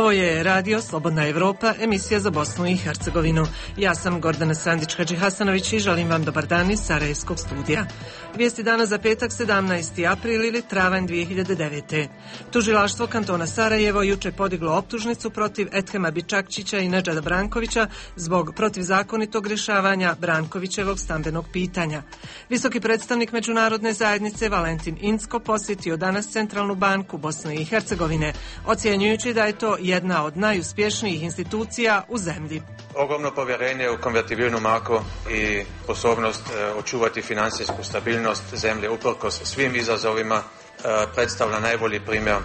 Ovo je Radio Slobodna Evropa, emisija za Bosnu i Hercegovinu. Ja sam Gordana Sandić-Hadžihasanović i želim vam dobar dan iz Sarajevskog studija. Vijesti dana za petak 17. april ili travanj 2009. Tužilaštvo kantona Sarajevo juče podiglo optužnicu protiv Edhema Bičakčića i Nedžada Brankovića zbog protivzakonitog rješavanja Brankovićevog stambenog pitanja. Visoki predstavnik međunarodne zajednice Valentin Incko posjetio danas Centralnu banku Bosne i Hercegovine, ocjenjujući da je to jedna od najuspješnijih institucija u zemlji. Ogromno povjerenje u konvertibilnu marku i sposobnost očuvati financijsku stabilnost zemlje uprkos svim izazovima predstavlja najbolji primjer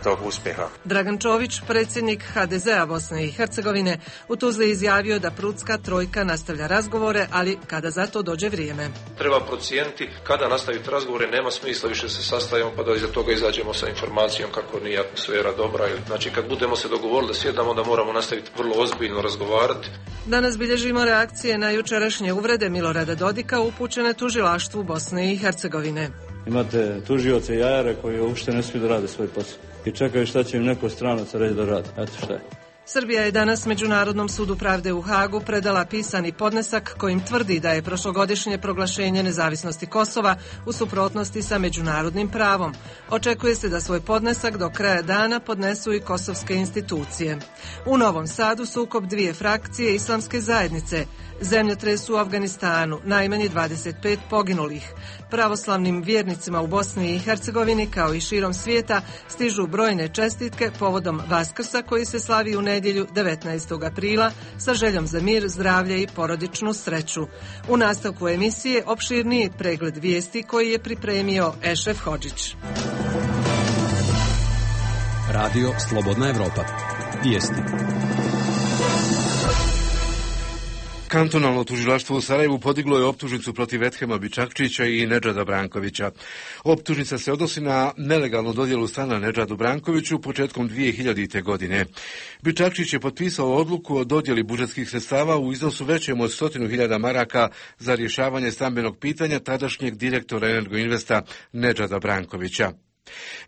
tog uspjeha. Dragan Čović, predsjednik HDZ-a Bosne i Hercegovine, u Tuzli izjavio da Prudska trojka nastavlja razgovore, ali kada za to dođe vrijeme. Treba procijeniti kada nastaviti razgovore, nema smisla više se sastajemo pa da iza toga izađemo sa informacijom kako nije atmosfera dobra. Znači kad budemo se dogovorili da sjedamo, onda moramo nastaviti vrlo ozbiljno razgovarati. Danas bilježimo reakcije na jučerašnje uvrede Milorada Dodika upućene tužilaštvu Bosne i Hercegovine. Imate tužioce i jajare koji uopšte ne smiju da rade svoj posao i čekaju šta će im neko stranac reći da rade. Eto šta je. Srbija je danas Međunarodnom sudu pravde u Hagu predala pisani podnesak kojim tvrdi da je prošlogodišnje proglašenje nezavisnosti Kosova u suprotnosti sa međunarodnim pravom. Očekuje se da svoj podnesak do kraja dana podnesu i kosovske institucije. U Novom Sadu sukob dvije frakcije islamske zajednice. Zemljotres u Afganistanu, najmanje 25 poginulih. Pravoslavnim vjernicima u Bosni i Hercegovini kao i širom svijeta stižu brojne čestitke povodom Vaskrsa koji se slavi u nedjelju 19. aprila sa željom za mir, zdravlje i porodičnu sreću. U nastavku emisije opširniji pregled vijesti koji je pripremio Ešref Hodžić. Radio Slobodna Evropa. Vijesti. Kantonalno tužilaštvo u Sarajevu podiglo je optužnicu protiv Edhema Bičakčića i Nedžada Brankovića. Optužnica se odnosi na nelegalnu dodjelu stana Nedžadu Brankoviću početkom 2000. godine. Bičakčić je potpisao odluku o dodjeli budžetskih sredstava u iznosu većem od 100.000 maraka za rješavanje stambenog pitanja tadašnjeg direktora Energoinvesta Nedžada Brankovića.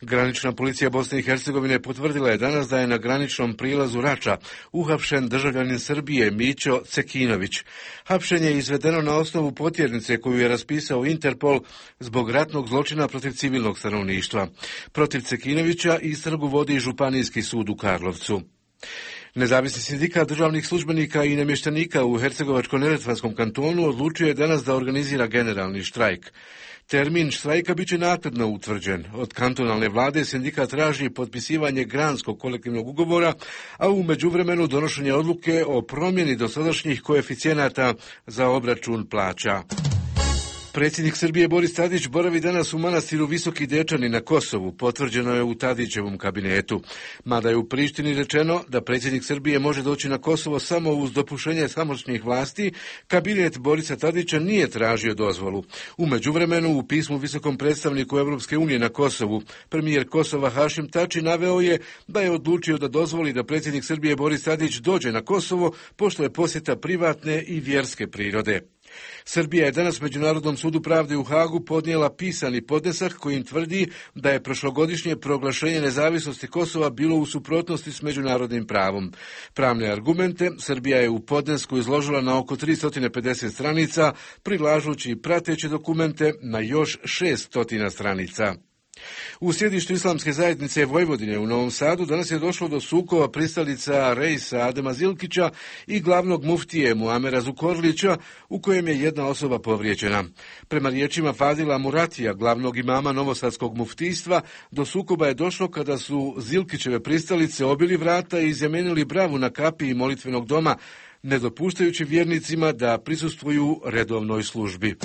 Granična policija Bosne i Hercegovine potvrdila je danas da je na graničnom prilazu Rača uhapšen državljanin Srbije Mićo Cekinović. Hapšenje je izvedeno na osnovu potjernice koju je raspisao Interpol zbog ratnog zločina protiv civilnog stanovništva. Protiv Cekinovića istragu vodi Županijski sud u Karlovcu. Nezavisni sindikat državnih službenika i namještenika u Hercegovačko-neretvanskom kantonu odlučio je danas da organizira generalni štrajk. Termin štrajka biće naknadno utvrđen. Od kantonalne vlade sindikat traži potpisivanje granskog kolektivnog ugovora, a u međuvremenu donošenje odluke o promjeni dosadašnjih koeficijenata za obračun plaća. Predsjednik Srbije Boris Tadić boravi danas u manastiru Visoki Dečani na Kosovu, potvrđeno je u Tadićevom kabinetu. Mada je u Prištini rečeno da predsjednik Srbije može doći na Kosovo samo uz dopuštenje tamošnjih vlasti, kabinet Borisa Tadića nije tražio dozvolu. U međuvremenu u pismu visokom predstavniku Europske unije na Kosovu, premijer Kosova Hašim Tači naveo je da je odlučio da dozvoli da predsjednik Srbije Boris Tadić dođe na Kosovo, pošto je posjeta privatne i vjerske prirode. Srbija je danas Međunarodnom sudu pravde u Hagu podnijela pisani podnesak kojim tvrdi da je prošlogodišnje proglašenje nezavisnosti Kosova bilo u suprotnosti s međunarodnim pravom. Pravne argumente Srbija je u podnesku izložila na oko 350 stranica, prilažući prateće dokumente na još 600 stranica. U sjedištu islamske zajednice Vojvodine u Novom Sadu danas je došlo do sukoba pristalica Reisa Adema Zilkića i glavnog muftije Muamera Zukorlića, u kojem je jedna osoba povrijeđena. Prema riječima Fadila Muratija, glavnog imama novosadskog muftijstva, do sukoba je došlo kada su Zilkićeve pristalice obili vrata i izjemenili bravu na kapiji molitvenog doma, ne dopuštajući vjernicima da prisustvuju redovnoj službi.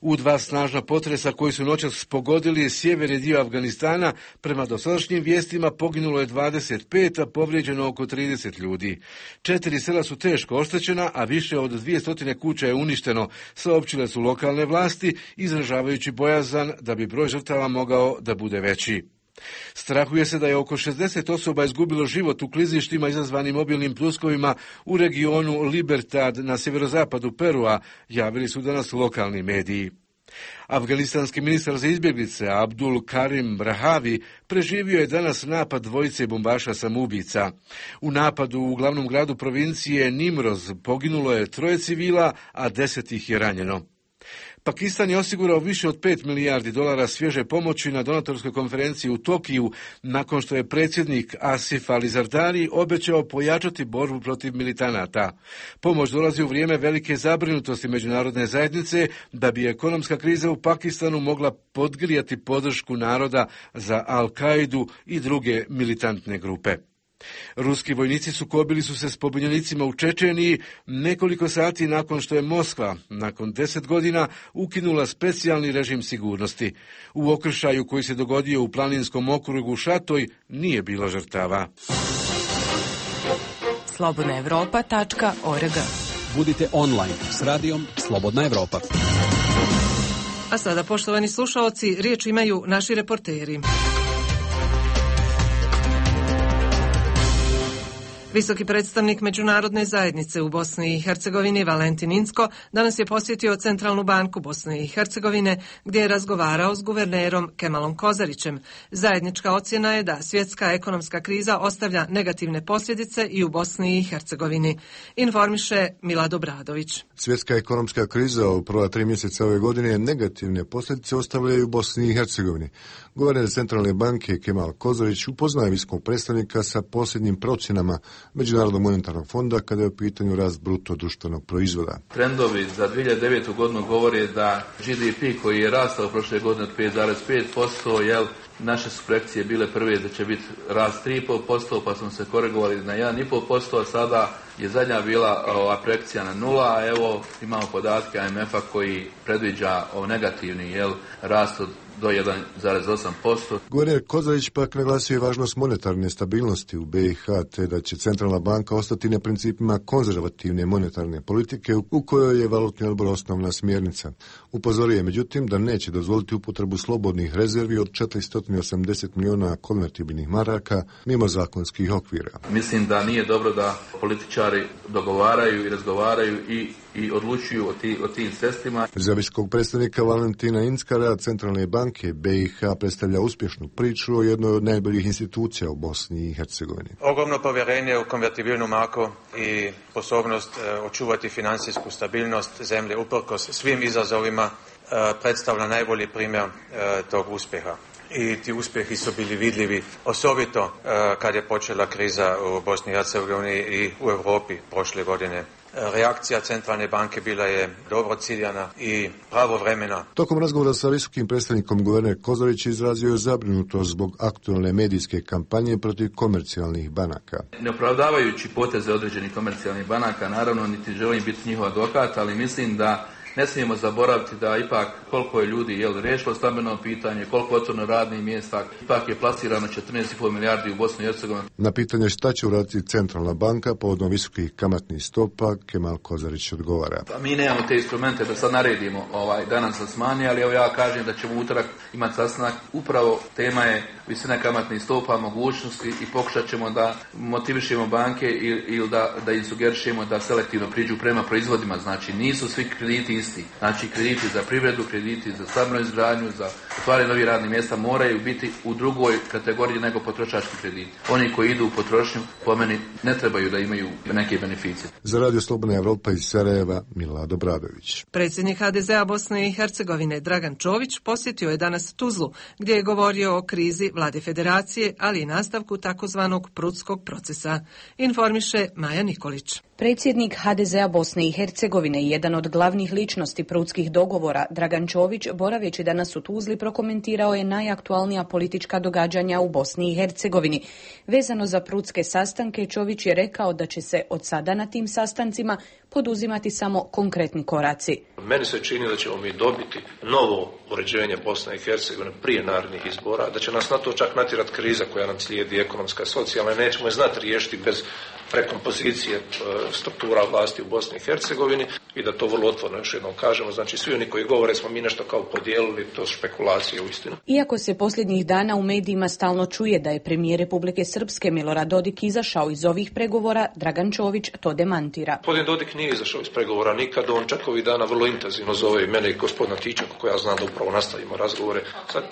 U dva snažna potresa koji su noćas pogodili sjeverni dio Afganistana, prema dosadašnjim vijestima poginulo je 25, a povrijeđeno oko 30 ljudi. 4 sela su teško oštećena, a više od 200 kuća je uništeno, saopćile su lokalne vlasti, izražavajući bojazan da bi broj žrtava mogao da bude veći. Strahuje se da je oko 60 osoba izgubilo život u klizištima izazvanim obilnim pljuskovima u regionu Libertad na sjeverozapadu Perua, javili su danas lokalni mediji. Afganistanski ministar za izbjeglice Abdul Karim Brahavi preživio je danas napad dvojice bombaša samoubica. U napadu u glavnom gradu provincije Nimroz poginulo je 3 civila, a 10 ih je ranjeno. Pakistan je osigurao više od $5 milijardi svježe pomoći na donatorskoj konferenciji u Tokiju, nakon što je predsjednik Asif Ali Zardari obećao pojačati borbu protiv militanata. Pomoć dolazi u vrijeme velike zabrinutosti međunarodne zajednice da bi ekonomska kriza u Pakistanu mogla podgrijati podršku naroda za Al-Kaidu i druge militantne grupe. Ruski vojnici sukobili su se s pobunjenicima u Čečeniji nekoliko sati nakon što je Moskva, nakon 10 godina, ukinula specijalni režim sigurnosti. U okršaju koji se dogodio u planinskom okrugu Šatoj nije bilo žrtava. slobodnaevropa.org. Budite online s radijom Slobodna Evropa. A sada, poštovani slušaoci, riječ imaju naši reporteri. Visoki predstavnik međunarodne zajednice u Bosni i Hercegovini Valentin Incko danas je posjetio Centralnu banku Bosne i Hercegovine gdje je razgovarao s guvernerom Kemalom Kozarićem. Zajednička ocjena je da svjetska ekonomska kriza ostavlja negativne posljedice i u Bosni i Hercegovini. Informiše Milad Obradović. Svjetska ekonomska kriza u prva 3 mjeseca ove godine negativne posljedice ostavljaju u Bosni i Hercegovini. Guverner Centralne banke Kemal Kozarić upoznao je visokog predstavnika sa posljednjim procjenama Međunarodnog monetarnog fonda kada je u pitanju rast bruto društvenog proizvoda. Trendovi za 2009. godinu govore da GDP koji je rastao prošle godine od 5,5%, naše su projekcije bile prve da će biti rast 3,5%, pa smo se korigovali na 1,5%, a sada je zadnja bila projekcija na 0, a evo imamo podatke IMF-a koji predviđa negativni rast od do 1,8%. Guverner Kozarić pak naglasio je važnost monetarne stabilnosti u BiH, te da će Centralna banka ostati na principima konzervativne monetarne politike u kojoj je valutni odbor osnovna smjernica. Upozorio je međutim da neće dozvoliti upotrebu slobodnih rezervi od 480 milijuna konvertibilnih maraka mimo zakonskih okvira. Mislim da nije dobro da političari dogovaraju i razgovaraju i odlučuju o tim sredstvima. Za visokog predstavnika Valentina Incka rad Centralne banke BiH predstavlja uspješnu priču o jednoj od najboljih institucija u Bosni i Hercegovini. Ogromno povjerenje u konvertibilnu marku i sposobnost očuvati financijsku stabilnost zemlje uprkos svim izazovima predstavlja najbolji primjer tog uspjeha. I ti uspjehi su bili vidljivi, osobito kad je počela kriza u Bosni i Hercegovini i u Europi prošle godine. Reakcija Centralne banke bila je dobro ciljana i pravovremena. Tokom razgovora sa visokim predstavnikom guverner Kozarić izrazio je zabrinutost zbog aktualne medijske kampanje protiv komercijalnih banaka. Ne opravdavajući poteze određenih komercijalnih banaka, naravno niti želim biti njihov advokat, ali mislim da ne smijemo zaboraviti da ipak koliko je ljudi riješilo stambeno pitanje, koliko je otvoreno radnih mjesta, ipak je plasirano 14,5 milijardi u Bosni i Hercegovini. Na pitanje šta će uraditi Centralna banka povodom visokih kamatnih stopa, Kemal Kozarić odgovara. Pa mi nemamo te instrumente da sad naredimo danas sa smanji, ali evo ja kažem da ćemo utorak imati sastanak. Upravo tema je visina kamatnih stopa, mogućnosti i pokušat ćemo da motivišemo banke ili da im sugerišemo da selektivno priđu prema proizvodima. Znači nisu svi krediti isti. Znači krediti za privredu, krediti za stambenu izgradnju, za otvaranje novih radnih mjesta moraju biti u drugoj kategoriji nego potrošački krediti. Oni koji idu u potrošnju po meni ne trebaju da imaju neke beneficije. Za Radio Slobodna Evropa iz Sarajeva, Milad Obradović. Predsjednik HDZ-a Bosne i Hercegovine Dragan Čović posjetio je danas Tuzlu, gdje je govorio o krizi vlade federacije, ali i nastavku takozvanog prudskog procesa. Informiše Maja Nikolić. Predsjednik HDZ-a Bosne i Hercegovine i jedan od glavnih ličnosti prudskih dogovora, Dragan Čović, boraveći danas u Tuzli, prokomentirao je najaktualnija politička događanja u Bosni i Hercegovini. Vezano za prudske sastanke, Čović je rekao da će se od sada na tim sastancima poduzimati samo konkretni koraci. Meni se čini da ćemo mi dobiti novo uređenje Bosne i Hercegovine prije narednih izbora, da će nas na to čak natjerati kriza koja nam slijedi, ekonomska, socijalna, nećemo je znati riješiti bez prekompozicije struktura vlasti u Bosni i Hercegovini i da to vrlo otvoreno još jednom kažemo. Znači svi oni koji govore smo mi nešto kao podijelili, to špekulacije uistinu. Iako se posljednjih dana u medijima stalno čuje da je premijer Republike Srpske Milorad Dodik izašao iz ovih pregovora, Dragan Čović to demantira. Gospodin Dodik nije izašao iz pregovora nikad, on čak ovih dana vrlo intenzivno zove i mene i gospodina Tičaka, koja znam da upravo nastavimo razgovore.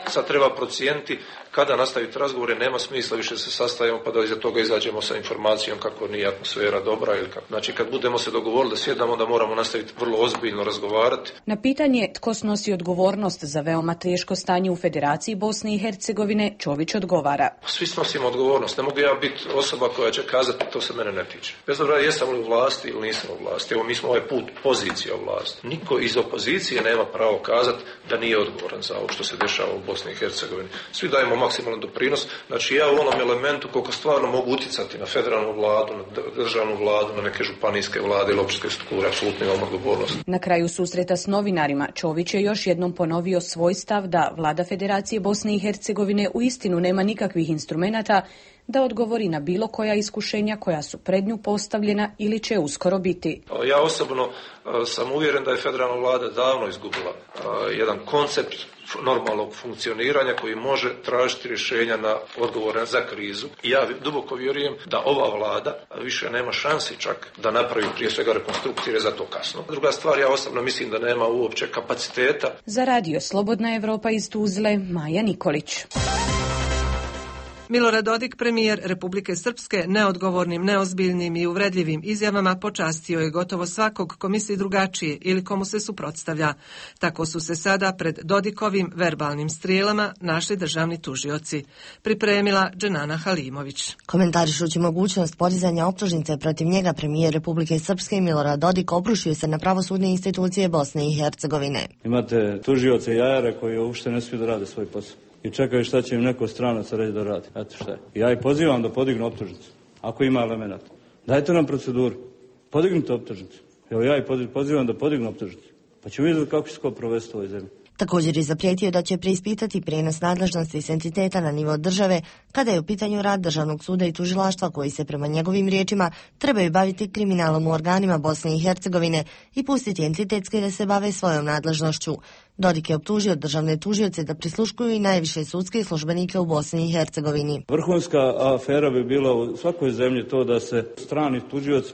Sad treba procijeniti kada nastaviti razgovore, nema smisla više se sastajemo pa da iza toga izađemo sa informacijom kako nije atmosfera dobra ili kako. Znači kad budemo se dogovorili da sjedamo, da moramo nastaviti vrlo ozbiljno razgovarati. Na pitanje tko snosi odgovornost za veoma teško stanje u Federaciji Bosne i Hercegovine, Čović odgovara. Svi snosimo odgovornost, ne mogu ja biti osoba koja će kazati to se mene ne tiče. Bez obzira jesam li u vlasti ili nisam u vlasti. Evo mi smo ovaj put pozicija u vlasti. Niko iz opozicije nema pravo kazati da nije odgovoran za ovo što se dešava u Bosni i Hercegovini. Svi dajemo maksimalan doprinos. Znači ja u onom elementu koliko stvarno mogu utjecati na federalnu vladu, na državnu vladu, na neke županijske vlade ili općinske strukture, apsolutno imam odgovornost. Na kraju susreta s novinarima Čović je još jednom ponovio svoj stav da vlada Federacije Bosne i Hercegovine uistinu nema nikakvih instrumenata da odgovori na bilo koja iskušenja koja su pred nju postavljena ili će uskoro biti. Ja osobno sam uvjeren da je federalna vlada davno izgubila jedan koncept normalnog funkcioniranja koji može tražiti rješenja na odgovore za krizu. I ja duboko vjerujem da ova vlada više nema šansi čak da napravi prije svega rekonstrukcije, jer za to kasno. Druga stvar, ja osobno mislim da nema uopće kapaciteta. Za radio Slobodna Evropa iz Tuzle, Maja Nikolić. Milorad Dodik, premijer Republike Srpske, neodgovornim, neozbiljnim i uvredljivim izjavama počastio je gotovo svakog ko misli drugačije ili komu se suprotstavlja. Tako su se sada pred Dodikovim verbalnim strijelama našli državni tužioci. Pripremila Dženana Halimović. Komentarišući mogućnost podizanja optužnice protiv njega, premijer Republike Srpske Milorad Dodik obrušio se na pravosudne institucije Bosne i Hercegovine. Imate tužioce i jajare koji uopšte ne smiju da rade svoj posao i čekaju šta će im neko stranac reći da radi. Eto šta je. Ja ih pozivam da podignu optužnicu, ako ima elemenata. Dajte nam proceduru, podignite optužnicu. Evo ja ih pozivam da podignu optužnicu, pa ću vidjeti kako će se ko provesti u ovoj zemlji. Također je zaprijetio da će preispitati prijenos nadležnosti s entiteta na nivo države kada je u pitanju rad Državnog suda i tužilaštva koji se prema njegovim riječima trebaju baviti kriminalom u organima Bosne i Hercegovine i pustiti entitetske da se bave svojom nadležnošću. Dodik je optužio državne tužioce da prisluškuju i najviše sudske službenike u Bosni i Hercegovini. Vrhunska afera bi bila u svakoj zemlji to da se strani tužioc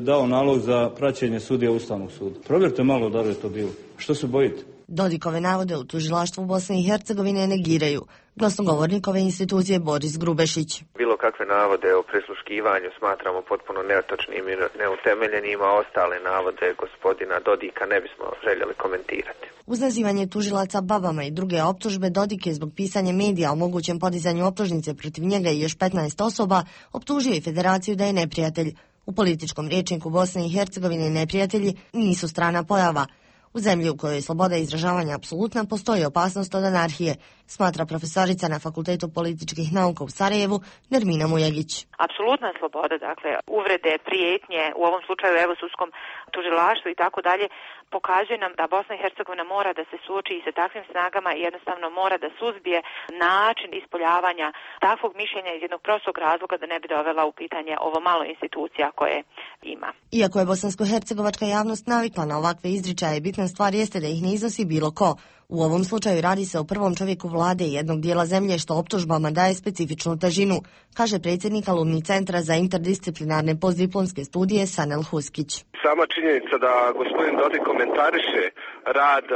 dao nalog za praćenje sudija Ustavnog suda. Provjerite malo da li je to bilo. Što se bojite? Dodikove navode u tužilaštvu Bosne i Hercegovine negiraju. Glasnogovornik ove institucije Boris Grubešić. Bilo kakve navode o prisluškivanju smatramo potpuno netočnim i neutemeljenim, a ostale navode gospodina Dodika ne bismo željeli komentirati. Uz nazivanje tužilaca babama i druge optužbe, Dodik je zbog pisanja medija o mogućem podizanju optužnice protiv njega i još 15 osoba optužio i Federaciju da je neprijatelj. U političkom rječniku Bosne i Hercegovine neprijatelji nisu strana pojava. U zemlji u kojoj je sloboda izražavanja apsolutna postoji opasnost od anarhije, smatra profesorica na Fakultetu političkih nauka u Sarajevu Nermina Mujegić. Apsolutna sloboda, dakle uvrede, prijetnje, u ovom slučaju evo sudskom tužilaštvu i tako dalje, pokazuje nam da Bosna i Hercegovina mora da se suoči i sa takvim snagama i jednostavno mora da suzbije način ispoljavanja takvog mišljenja iz jednog prostog razloga da ne bi dovela u pitanje ovo malo institucija koje ima. Iako je bosansko-hercegovačka javnost navikla na ovakve izričaje, bitna stvar jeste da ih ne iznosi bilo ko. U ovom slučaju radi se o prvom čovjeku vlade jednog dijela zemlje što optužbama daje specifičnu težinu, kaže predsjednik alumni Centra za interdisciplinarne postdiplomske studije Sanel Huskić. Sama činjenica da gospodin Dodik komentariše rad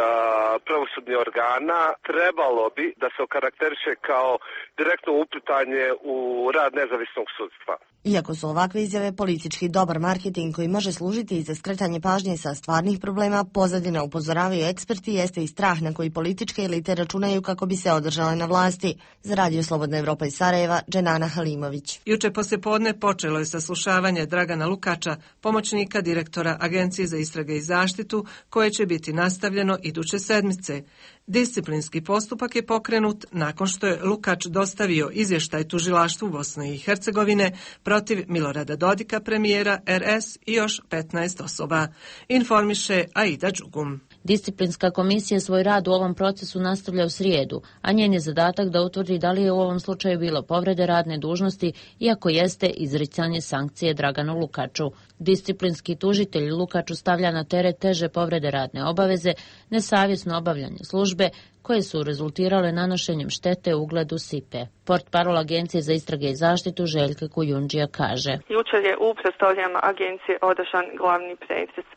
pravosudnih organa trebalo bi da se okarakteriše kao direktno uplitanje u rad nezavisnog sudstva. Iako su ovakve izjave politički dobar marketing koji može služiti i za skretanje pažnje sa stvarnih problema, pozadina, upozoravaju eksperti, jeste i strah na koji političke elite računaju kako bi se održale na vlasti. Za radio Slobodna Evropa iz Sarajeva, Dženana Halimović. Juče poslijepodne počelo je saslušavanje Dragana Lukača, pomoćnika direktora Agencije za istrage i zaštitu, koje će biti nastavljeno iduće sedmice. Disciplinski postupak je pokrenut nakon što je Lukač dostavio izvještaj tužilaštvu Bosne i Hercegovine protiv Milorada Dodika, premijera RS i još 15 osoba. Informiše Aida Đugum. Disciplinska komisija svoj rad u ovom procesu nastavlja u srijedu, a njen je zadatak da utvrdi da li je u ovom slučaju bilo povrede radne dužnosti, iako jeste izricanje sankcije Draganu Lukaču. Disciplinski tužitelj Lukaču stavlja na teret teže povrede radne obaveze, nesavjesno obavljanje službe, koje su rezultirale nanošenjem štete ugledu SIPE. Portparol Agencije za istrage i zaštitu Željka Kujundžija kaže: Jučer je u prostorijama agencije održan glavni pretres.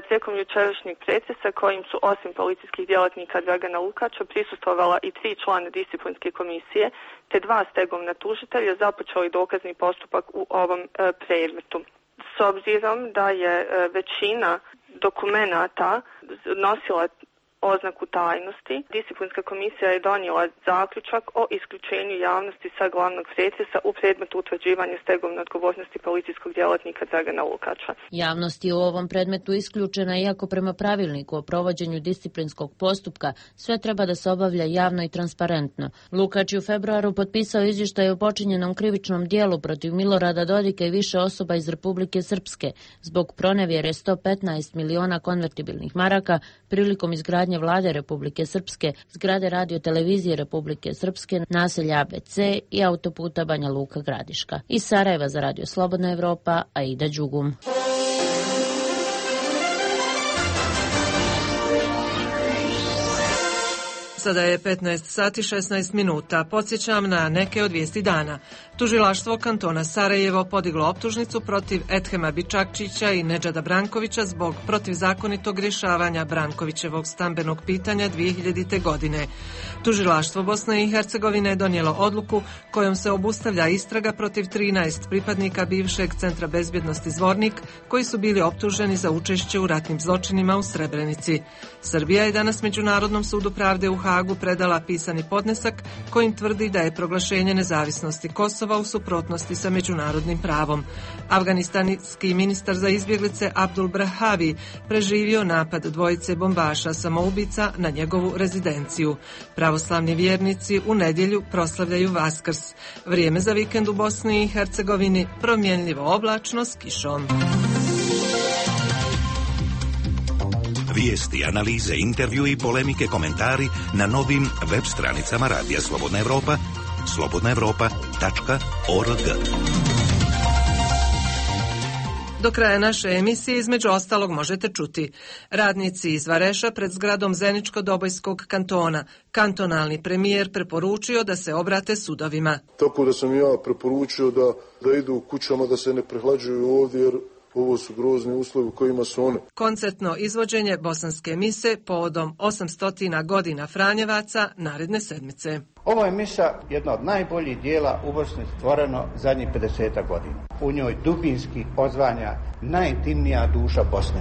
Tijekom jučerašnjeg pretresa kojim su osim policijskih djelatnika Dragana Lukača prisustvovala i 3 člana disciplinske komisije te 2 stegovna tužitelja započeli dokazni postupak u ovom predmetu. S obzirom da je većina dokumenata nosila oznaku tajnosti, disciplinska komisija je donijela zaključak o isključenju javnosti sa glavnog pretresa u predmetu utvrđivanja stegovne odgovornosti policijskog djelatnika Dragana Lukača. Javnost je u ovom predmetu isključena, iako prema pravilniku o provođenju disciplinskog postupka sve treba da se obavlja javno i transparentno. Lukač je u februaru potpisao izvještaj o počinjenom krivičnom dijelu protiv Milorada Dodika i više osoba iz Republike Srpske zbog pronevjere 115 miliona konvertibilnih maraka prilikom izgradnje vlade Republike Srpske, zgrade radio-televizije Republike Srpske, naselja ABC i autoputa Banja Luka-Gradiška. Iz Sarajeva za Radio Slobodna Evropa, Aida Đugum. Sada je 15 sati 16 minuta. Podsjećam na neke od vijesti dana. Tužilaštvo kantona Sarajevo podiglo optužnicu protiv Edhema Bičakčića i Nedžada Brankovića zbog protivzakonitog rješavanja Brankovićevog stambenog pitanja 2000. godine. Tužilaštvo Bosne i Hercegovine je donijelo odluku kojom se obustavlja istraga protiv 13 pripadnika bivšeg Centra bezbjednosti Zvornik koji su bili optuženi za učešće u ratnim zločinima u Srebrenici. Srbija je danas Međunarodnom sudu pravde u Hagu predala pisani podnesak kojim tvrdi da je proglašenje nezavisnosti Kosova u suprotnosti sa međunarodnim pravom. Afganistanski ministar za izbjeglice Abdul Brahavi preživio napad dvojice bombaša samoubica na njegovu rezidenciju. Pravoslavni vjernici u nedjelju proslavljaju Vaskrs. Vrijeme za vikend u Bosni i Hercegovini promjenljivo oblačno s kišom. Vijesti, analize, intervju i polemike, komentari na novim web stranicama Radija Slobodna Evropa, slobodnaevropa.org. Do kraja naše emisije između ostalog možete čuti: radnici iz Vareša pred zgradom Zeničko-Dobojskog kantona. Kantonalni premijer preporučio da se obrate sudovima. Tako da sam ja preporučio da idu u kućama, da se ne prehlađuju ovdje, jer ovo su grozni uslovi u kojima su one. Koncertno izvođenje bosanske mise povodom 800 godina Franjevaca naredne sedmice. Ovo je misa jedna od najboljih dijela u Bosni stvoreno zadnjih 50 godina. U njoj dubinski odzvanja najintimnija duša Bosne.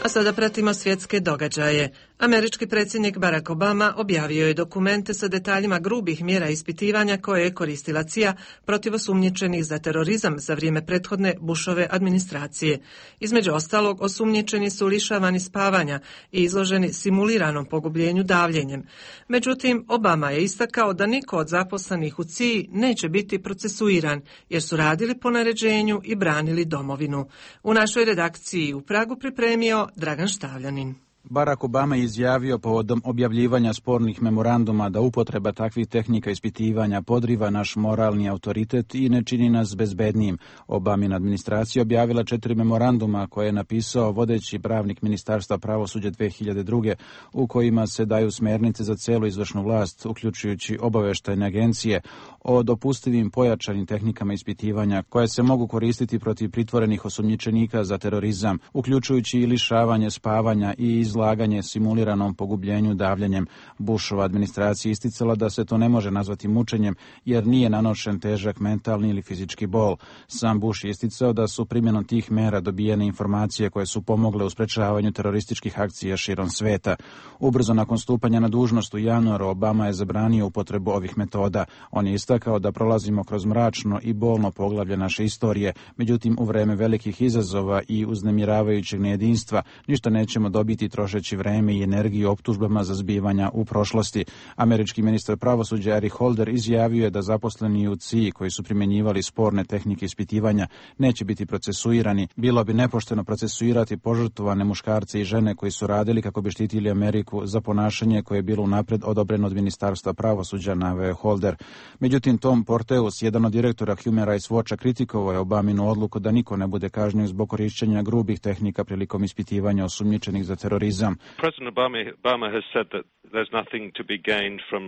A sada pratimo svjetske događaje. Američki predsjednik Barack Obama objavio je dokumente sa detaljima grubih mjera ispitivanja koje je koristila CIA protiv osumnjičenih za terorizam za vrijeme prethodne Bushove administracije. Između ostalog, osumnjičeni su lišavani spavanja i izloženi simuliranom pogubljenju davljenjem. Međutim, Obama je istakao da niko od zaposlenih u CIA neće biti procesuiran, jer su radili po naređenju i branili domovinu. U našoj redakciji u Pragu pripremio Dragan Štavljanin. Barack Obama je izjavio povodom objavljivanja spornih memoranduma da upotreba takvih tehnika ispitivanja podriva naš moralni autoritet i ne čini nas bezbednijim. Obamina administracija objavila 4 memoranduma koje je napisao vodeći pravnik Ministarstva pravosuđa 2002. u kojima se daju smjernice za celu izvršnu vlast, uključujući obavještajne agencije, o dopustivim pojačanim tehnikama ispitivanja koje se mogu koristiti protiv pritvorenih osumnjičenika za terorizam, uključujući i lišavanje spavanja i izlaganje simuliranom pogubljenju davljenjem. Bushova administracija isticala da se to ne može nazvati mučenjem jer nije nanošen težak mentalni ili fizički bol. Sam Bush je isticao da su primjenom tih mera dobijene informacije koje su pomogle u sprečavanju terorističkih akcija širom sveta. Ubrzo nakon stupanja na dužnost u januaru Obama je zabranio upotrebu ovih metoda. On je istakao da prolazimo kroz mračno i bolno poglavlje naše istorije, međutim u vreme velikih izazova i uznemiravajućeg nejedinstva ništa nećemo dobiti trošeći vreme i energiju optužbama za zbivanja u prošlosti. Američki ministar pravosuđa Eric Holder izjavio je da zaposleni u CIA koji su primjenjivali sporne tehnike ispitivanja neće biti procesuirani. Bilo bi nepošteno procesuirati požrtvovane muškarce i žene koji su radili kako bi štitili Ameriku za ponašanje koje je bilo unapred odobreno od Ministarstva pravosuđa, naveo Holder. Međutim, Tom Porteus, jedan od direktora Human Rights Watcha, kritikovao je Obaminu odluku da niko ne bude kažnjen zbog korišćenja grubih tehnika prilikom ispitivanja osumnjičenih za terorizam. President Obama has said that there's nothing to be gained from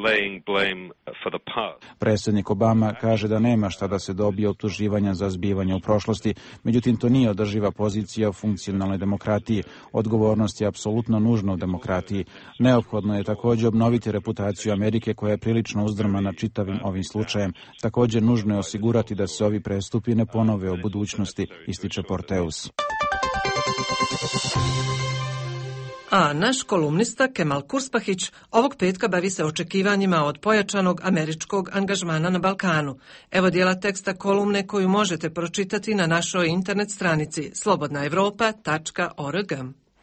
laying blame for the past. Predsjednik Obama kaže da nema šta da se dobije optuživanja za zbivanje u prošlosti, međutim to nije održiva pozicija u funkcionalnoj demokratiji. Odgovornost je apsolutno nužna u demokratiji. Neophodno je također obnoviti reputaciju Amerike koja je prilično uzdrmana čitavim ovim slučajem. Također nužno je osigurati da se ovi prestupi ne ponove u budućnosti, ističe Porteus. A naš kolumnista Kemal Kurspahić ovog petka bavi se očekivanjima od pojačanog američkog angažmana na Balkanu. Evo dijela teksta kolumne koju možete pročitati na našoj internet stranici slobodnaevropa.org.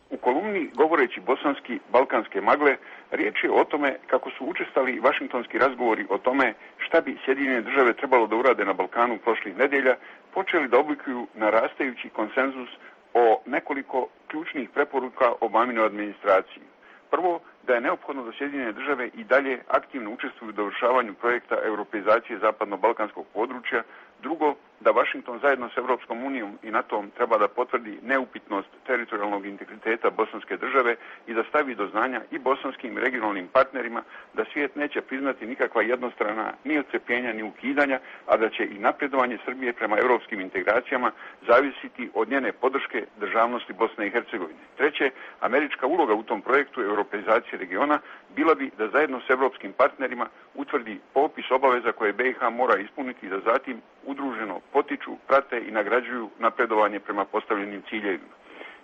U kolumni Govoreći bosanski balkanske magle riječ je o tome kako su učestali vašingtonski razgovori o tome šta bi Sjedinjene države trebalo da urade na Balkanu prošlih nedjelja, počeli da oblikuju narastajući konsenzus o nekoliko ključnih preporuka Obaminoj administraciji. Prvo, da je neophodno da Sjedinjene države i dalje aktivno učestvuju u dovršavanju projekta europeizacije zapadno-balkanskog područja. Drugo, da Washington zajedno s Europskom unijom i NATO-om treba da potvrdi neupitnost teritorijalnog integriteta bosanske države i da stavi do znanja i bosanskim regionalnim partnerima da svijet neće priznati nikakva jednostrana ni odcepljenja ni ukidanja, a da će i napredovanje Srbije prema europskim integracijama zavisiti od njene podrške državnosti Bosne i Hercegovine. Treće, američka uloga u tom projektu europeizacije regiona bila bi da zajedno s europskim partnerima utvrdi popis obaveza koje BiH mora ispuniti i da zatim udruženo potiču, prate i nagrađuju napredovanje prema postavljenim ciljevima.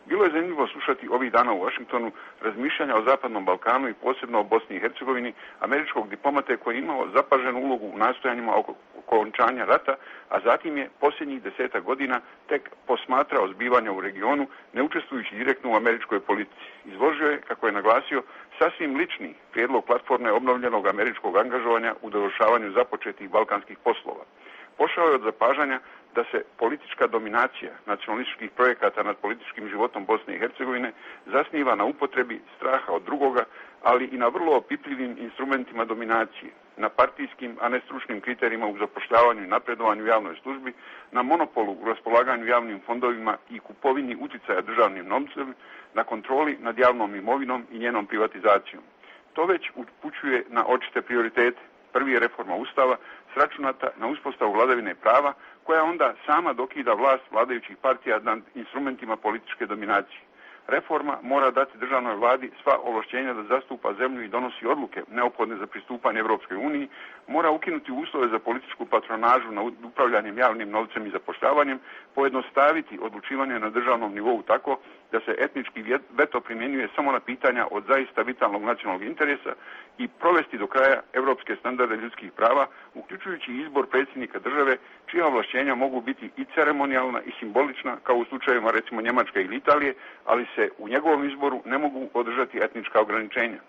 Bilo je zanimljivo slušati ovih dana u Washingtonu razmišljanja o Zapadnom Balkanu i posebno o Bosni i Hercegovini američkog diplomate koji je imao zapaženu ulogu u nastojanjima oko okončanja rata, a zatim je posljednjih 10 godina tek posmatrao zbivanja u regionu, ne učestvujući direktno u američkoj politici. Izložio je, kako je naglasio, sasvim lični prijedlog platforme obnovljenog američkog angažovanja u dovršavanju započetih balkanskih poslova. Pošao je od zapažanja da se politička dominacija nacionalističkih projekata nad političkim životom Bosne i Hercegovine zasniva na upotrebi straha od drugoga, ali i na vrlo opipljivim instrumentima dominacije, na partijskim, a ne stručnim kriterijima u zapošljavanju i napredovanju u javnoj službi, na monopolu u raspolaganju javnim fondovima i kupovini uticaja državnim novcem, na kontroli nad javnom imovinom i njenom privatizacijom. To već upućuje na očite prioritete. Prvi je reforma Ustava, sračunata na uspostavu vladavine prava, koja onda sama dokida vlast vladajućih partija nad instrumentima političke dominacije. Reforma mora dati državnoj vladi sva ovlašćenja da zastupa zemlju i donosi odluke neophodne za pristupanje Europskoj uniji, mora ukinuti uslove za političku patronažu nad upravljanjem javnim novcem i zapošljavanjem, pojednostaviti odlučivanje na državnom nivou tako da se etnički veto primjenjuje samo na pitanja od zaista vitalnog nacionalnog interesa i provesti do kraja europske standarde ljudskih prava, uključujući izbor predsjednika države, čija ovlašćenja mogu biti i ceremonijalna i simbolična, kao u slučajevima recimo Njemačke ili Italije, ali se u njegovom izboru ne mogu održati etnička ograničenja.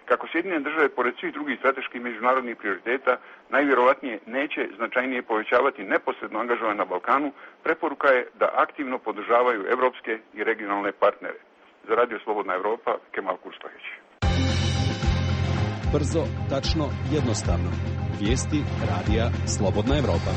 Kako Sjedinjene države, pored svih drugih strateških međunarodnih prioriteta, najvjerovatnije neće značajnije povećavati neposredno angažovanje na Balkanu, preporuka je da aktivno podržavaju evropske i regionalne partnere. Za Radio Slobodna Evropa, Kemal Kurspahić. Brzo, tačno, jednostavno. Vijesti Radija Slobodna Evropa.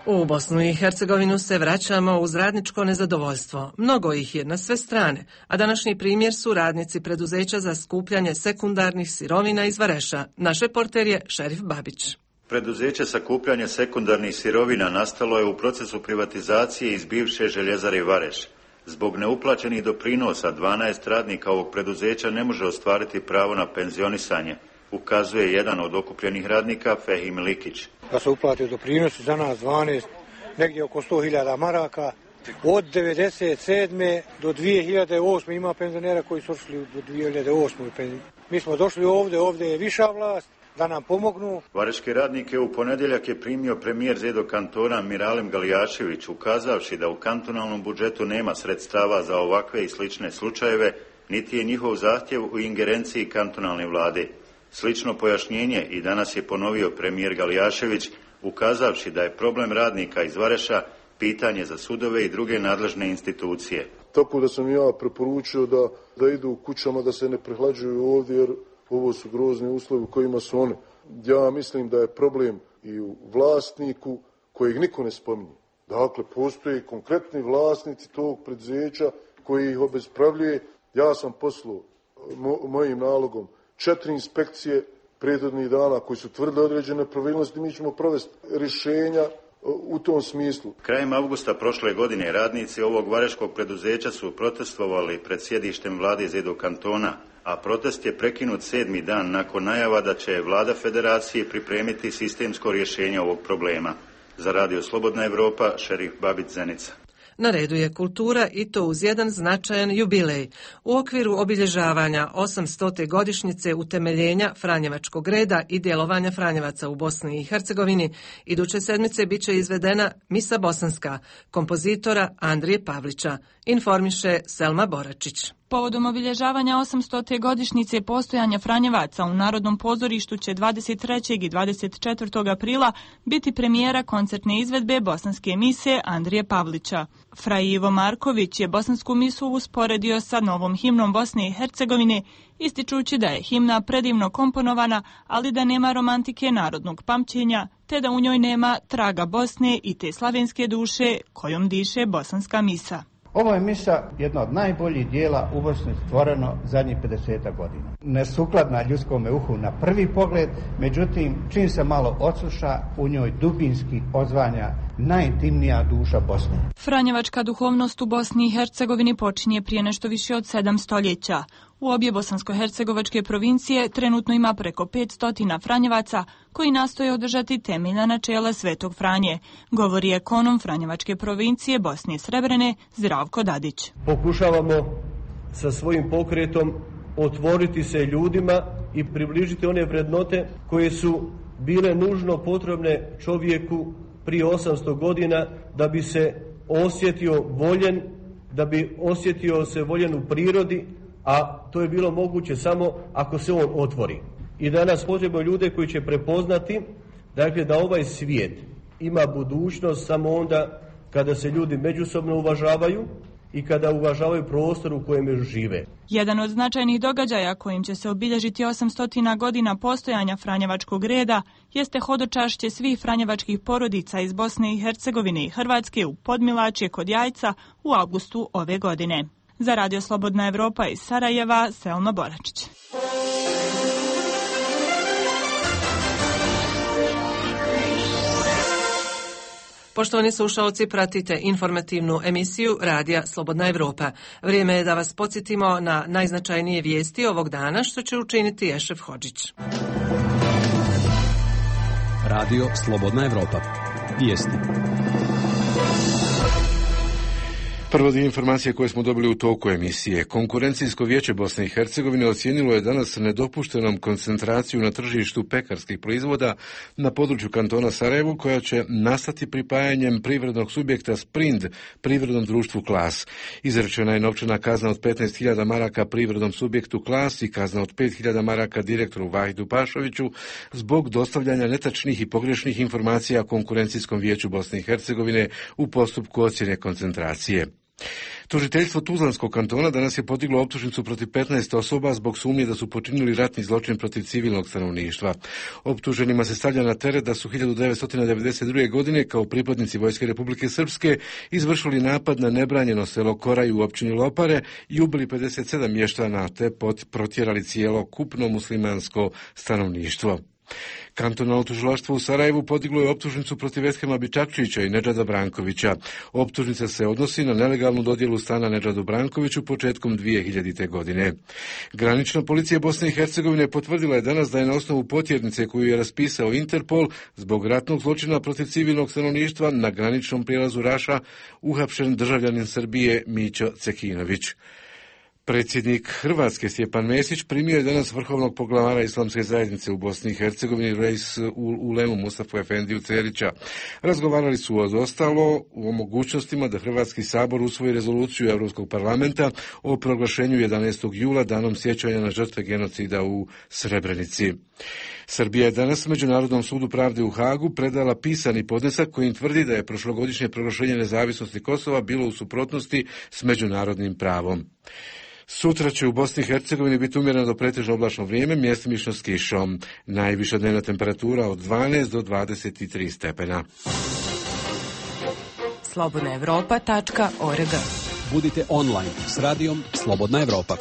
U Bosnu i Hercegovinu se vraćamo uz radničko nezadovoljstvo. Mnogo ih je na sve strane, a današnji primjer su radnici preduzeća za skupljanje sekundarnih sirovina iz Vareša. Naš reporter je Šerif Babić. Preduzeće sakupljanja sekundarnih sirovina nastalo je u procesu privatizacije iz bivše željezare Vareš. Zbog neuplaćenih doprinosa 12 radnika ovog preduzeća ne može ostvariti pravo na penzionisanje, ukazuje jedan od okupljenih radnika, Fehim Likić. Da se uplatio doprinosi za nas 12, negdje oko 100.000 maraka. Od 1997. do 2008. ima penzionera koji su došli do 2008. Mi smo došli ovdje je viša vlast, da nam pomognu. Vareške radnike u ponedjeljak je primio premijer Zedo kantona Miralem Galijašević, ukazavši da u kantonalnom budžetu nema sredstava za ovakve i slične slučajeve, niti je njihov zahtjev u ingerenciji kantonalne vlade. Slično pojašnjenje i danas je ponovio premijer Galijašević, ukazavši da je problem radnika iz Vareša pitanje za sudove i druge nadležne institucije. Tako da sam ja preporučio da idu u kućama, da se ne prehlađuju ovdje, jer ovo su grozni uslovi u kojima su oni. Ja mislim da je problem i u vlasniku kojeg niko ne spominje. Dakle, postoje konkretni vlasnici tog preduzeća koji ih obespravljuje. Ja sam poslao mojim nalogom 4 inspekcije prethodnih dana koji su tvrdili određene nepravilnosti. Mi ćemo provesti rješenja u tom smislu. Krajem avgusta prošle godine radnici ovog vareškog preduzeća su protestovali pred sjedištem vlade Zedo kantona, a protest je prekinut 7. dan nakon najava da će vlada federacije pripremiti sistemsko rješenje ovog problema. Za Radio Slobodna Evropa, Šerif Babić, Zenica. Na redu je kultura i to uz jedan značajan jubilej. U okviru obilježavanja 800. godišnjice utemeljenja Franjevačkog reda i djelovanja Franjevaca u Bosni i Hercegovini, iduće sedmice bit će izvedena Misa bosanska kompozitora Andrije Pavlića, informiše Selma Boračić. Povodom obilježavanja 800. godišnjice postojanja Franjevaca u Narodnom pozorištu će 23. i 24. aprila biti premijera koncertne izvedbe bosanske mise Andrije Pavlića. Fra Ivo Marković je bosansku misu usporedio sa novom himnom Bosne i Hercegovine, ističući da je himna predivno komponovana, ali da nema romantike narodnog pamćenja, te da u njoj nema traga Bosne i te slavenske duše kojom diše bosanska misa. Ovo je misa jedna od najboljih dijela u Bosni stvoreno zadnjih 50 godina. Nesukladna ljudskome uhu na prvi pogled, međutim, čim se malo odsluša, u njoj dubinski odzvanja najintimnija duša Bosne. Franjevačka duhovnost u Bosni i Hercegovini počinje prije nešto više od 7 stoljeća. U obje bosansko-hercegovačke provincije trenutno ima preko 500 Franjevaca koji nastoje održati temeljna načela Svetog Franje, govori ekonom Franjevačke provincije Bosne i Srebrene Zdravko Dadić. Pokušavamo sa svojim pokretom otvoriti se ljudima i približiti one vrednote koje su bile nužno potrebne čovjeku prije 800 godina da bi se osjetio voljen, da bi osjetio se voljen u prirodi, a to je bilo moguće samo ako se on otvori. I danas potrebujemo ljude koji će prepoznati, dakle, da ovaj svijet ima budućnost samo onda kada se ljudi međusobno uvažavaju i kada uvažavaju prostor u kojem žive. Jedan od značajnih događaja kojim će se obilježiti 800 godina postojanja Franjevačkog reda jeste hodočašće svih franjevačkih porodica iz Bosne i Hercegovine i Hrvatske u Podmilačje kod Jajca u avgustu ove godine. Za Radio Slobodna Evropa iz Sarajeva, Selma Boračić. Poštovani slušalci, pratite informativnu emisiju Radija Slobodna Evropa. Vrijeme je da vas podsjetimo na najznačajnije vijesti ovog dana, što će učiniti Ešef Hodžić. Radio Slobodna Evropa. Vijesti. Prvo dio informacije koje smo dobili u toku emisije. Konkurencijsko vijeće Bosne i Hercegovine ocijenilo je danas nedopuštenom koncentraciju na tržištu pekarskih proizvoda na području kantona Sarajevo, koja će nastati pripajanjem privrednog subjekta Sprind privrednom društvu Klas. Izrečena je novčana kazna od 15.000 maraka privrednom subjektu Klas i kazna od 5.000 maraka direktoru Vahidu Pašoviću zbog dostavljanja netačnih i pogrešnih informacija Konkurencijskom vijeću Bosne i Hercegovine u postupku ocjene koncentracije. Tužiteljstvo Tuzlanskog kantona danas je podiglo optužnicu protiv 15 osoba zbog sumnje da su počinili ratni zločin protiv civilnog stanovništva. Optuženima se stavlja na teret da su 1992. godine kao pripadnici Vojske Republike Srpske izvršili napad na nebranjeno selo Koraj u općini Lopare i ubili 57 mještana te protjerali cijelo kupno muslimansko stanovništvo. Kantonalno tužilaštvo u Sarajevu podiglo je optužnicu protiv Eshema Bičakčića i Nedžada Brankovića. Optužnica se odnosi na nelegalnu dodjelu stana Nedžadu Brankoviću početkom 2000. godine. Granična policija Bosne i Hercegovine potvrdila je danas da je na osnovu potjernice koju je raspisao Interpol zbog ratnog zločina protiv civilnog stanovništva na graničnom prijelazu Raša uhapšen državljanin Srbije Mićo Cekinović. Predsjednik Hrvatske Stjepan Mesić primio je danas vrhovnog poglavara Islamske zajednice u Bosni i Hercegovini Reis Ulemu Mustafa Efendiju Cerića. Razgovarali su ostalo o mogućnostima da Hrvatski sabor usvoji rezoluciju Europskog parlamenta o proglašenju 11. jula danom sjećanja na žrtve genocida u Srebrenici. Srbija je danas Međunarodnom sudu pravde u Hagu predala pisani podnesak kojim tvrdi da je prošlogodišnje proglašenje nezavisnosti Kosova bilo u suprotnosti s međunarodnim pravom. Sutra će u Bosni i Hercegovini biti umjereno do pretežno oblačno vrijeme, mjestimično s kišom. Najviša dnevna temperatura od 12 do 23 stepena. slobodnaevropa.org. Budite online s radijom Slobodna Evropa.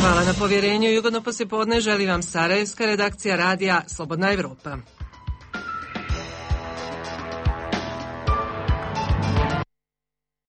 Hvala na povjerenju i ugodno poslijepodne želi vam Sarajevska redakcija radija Slobodna Evropa.